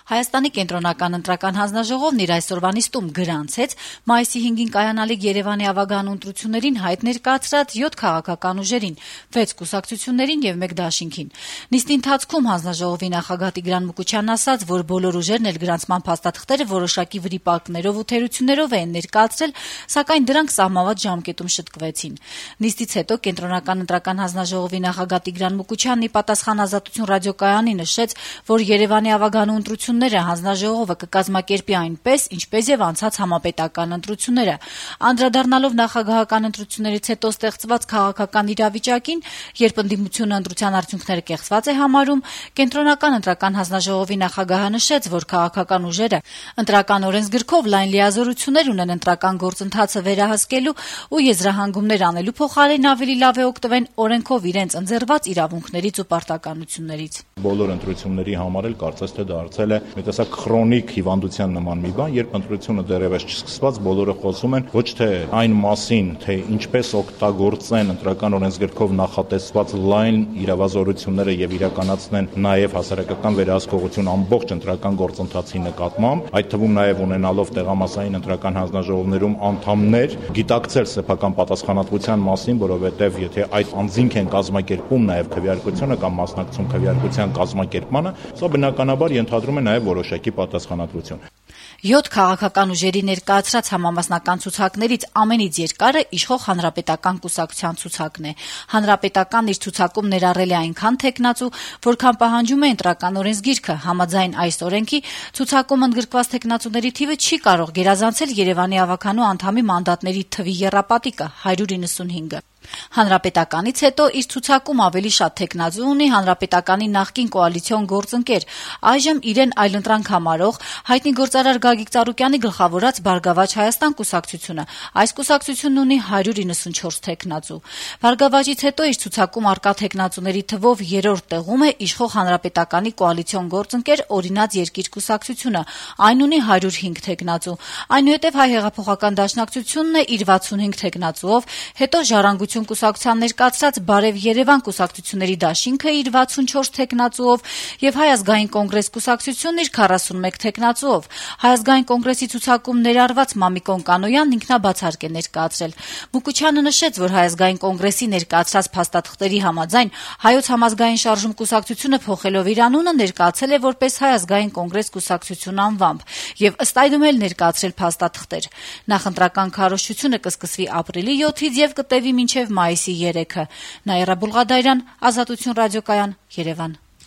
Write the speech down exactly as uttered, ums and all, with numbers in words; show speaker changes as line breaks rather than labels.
Հայաստանի կենտրոնական ընտրական հանձնաժողովն իր այսօրվա նիստում գրանցեց մայիսի հինգին կայանալիք Երևանի ավագան ընտրություններին հայտ ներկայացրած յոթ քաղաքական ուժերին, վեց կուսակցություններին եւ մեկ դաշինքին։ Նիստի ընթացքում հանձնաժողովի նախագահ Տիգրան Մուկուչյանն ասաց, որ բոլոր ուժերն էլ գրանցման փաստաթղթերը որոշակի վրիպակներով ու թերություններով են ներկայացրել, սակայն դրանք սահմանված ժամկետում շտկվեցին։ Նիստից հետո կենտրոնական ընտրական հանձնաժողովի նախագահ Տիգրան Մուկուչյանն ի պատասխան Ազատություն ռադիոկայանի նշեց, որ Երևանի ավագան ընտրությունները հանձնաժողովը կկազմակերպի այնպես, ինչպես եւ անցած համապետական ընտրությունները։ Անդրադառնալով նախագահական ընտրություններից հետո ստեղծված քաղաքական իրավիճակին, երբ ընդդիմությունը ընտրության արդյունքները կեղծված է համարում, կենտրոնական ընտրական հանձնաժողովի նախագահը նշեց, որ քաղաքական ուժերը ընտրական օրենսգրքով լայն լիազորություններ ունեն ընտրական գործընթացը վերահսկելու ու եզրահանգումներ անելու փոխարեն ավելի լավ է օգտվեն օրենքով իրենց ընձեռված իրավունքներից ու պարտականություններից։
Բոլոր ընտրությունների համար էլ կարծես թե դարձել է մի տեսակ քրոնիկ հիվանդության նման մի բան, երբ ընտրությունը դեռևս չսկսված, բոլորը խոսում են ոչ թե այն մասին, թե ինչպես օգտագործեն ընտրական օրենսգրքով նախատեսված լայն իրավազորությունները եւ իրականացնեն նաեւ հասարակական վերահսկողություն ամբողջ ընտրական գործընթացի նկատմամբ, այդ թվում նաեւ ունենալով տեղամասային ընտրական հանձնաժողովներում անդամներ, գիտակցել սեփական պատասխանատվության մասին, որովհետեւ եթե այդ անձինք են կազմակերպում նաեւ քվեարկությունը կամ մասնակցում քվեարկության կազմակերպմանը, սա բնականաբար ենթադրում է նաեւ որոշակի պատասխանատվություն։
Յոթ քաղաքական ուժերի ներկայացրած համամասնական ցուցակներից ամենից երկարը իշխող Հանրապետական կուսակցության ցուցակն է։ Հանրապետական իր ցուցակում ներառել է այնքան թեկնածու, որքան պահանջում է ընտրական օրենսգիրքը։ Համաձայն այս օրենքի ցուցակում ընդգրկված թեկնածուների թիվը չի կարող գերազանցել Երևանի ավագանու անդամի մանդատների թվի եռապատիկը՝ հարյուր իննսունհինգը։ Հանրապետականից հետո իր ցուցակում ավելի շատ թեկնածու ունի Հանրապետականի նախկին կոալիցիոն գործընկեր, այժմ իրեն այլընտրանք համարող հայտնի գործարար Գագիկ Ծառուկյանի գլխավորած Բարգավաճ Հայաստան կուսակցությունը։ Այս կուսակցությունն ունի հարյուր իննսունչորս թեկնածու։ Բարգավաճից հետո իր ցուցակում արկա թեկնածուների թվով երրորդ տեղում է իշխող Հանրապետականի կոալիցիոն գործընկեր Օրինաց երկիր կուսակցությունը։ Այն ունի հարյուր հինգ թեկնածու։ Այնուհետև Հայ հեղափոխական դաշնակցությունն է իր վաթսունհինգ թեկնածուով, հետո Ժառանգություն կուսակցության ներկայացրած Բարև Երևան կուսակցությունների դաշինքը իր վաթսունչորս թեկնածուով եւ Հայ ազգային կոնգրես կուսակցությունն իր քառասունմեկ թեկնածուով։ Հայ ազգային կոնգրեսի ցուցակում ներառված Մամիկոն Կանոյանն ինքնաբացարկ է ներկայացրել։ Մուկուչյանը նշեց, որ Հայ ազգային կոնգրեսի ներկայացրած փաստաթղթերի համաձայն Հայոց համազգային շարժում կուսակցությունը փոխելով իր անունը ներկայացել է որպես Հայ ազգային կոնգրես կուսակցություն անվամբ եւ ըստ այդմ էլ ներկայացրել փաստաթղթեր։ Նախընտրական քարոզչությունը կսկսվի ապրիլի յոթից եւ կտևի մինչեւ մայիսի երեքը։ Նաիրա Բուլղադարյան, Ազատություն ռադիոկայան, Երևան։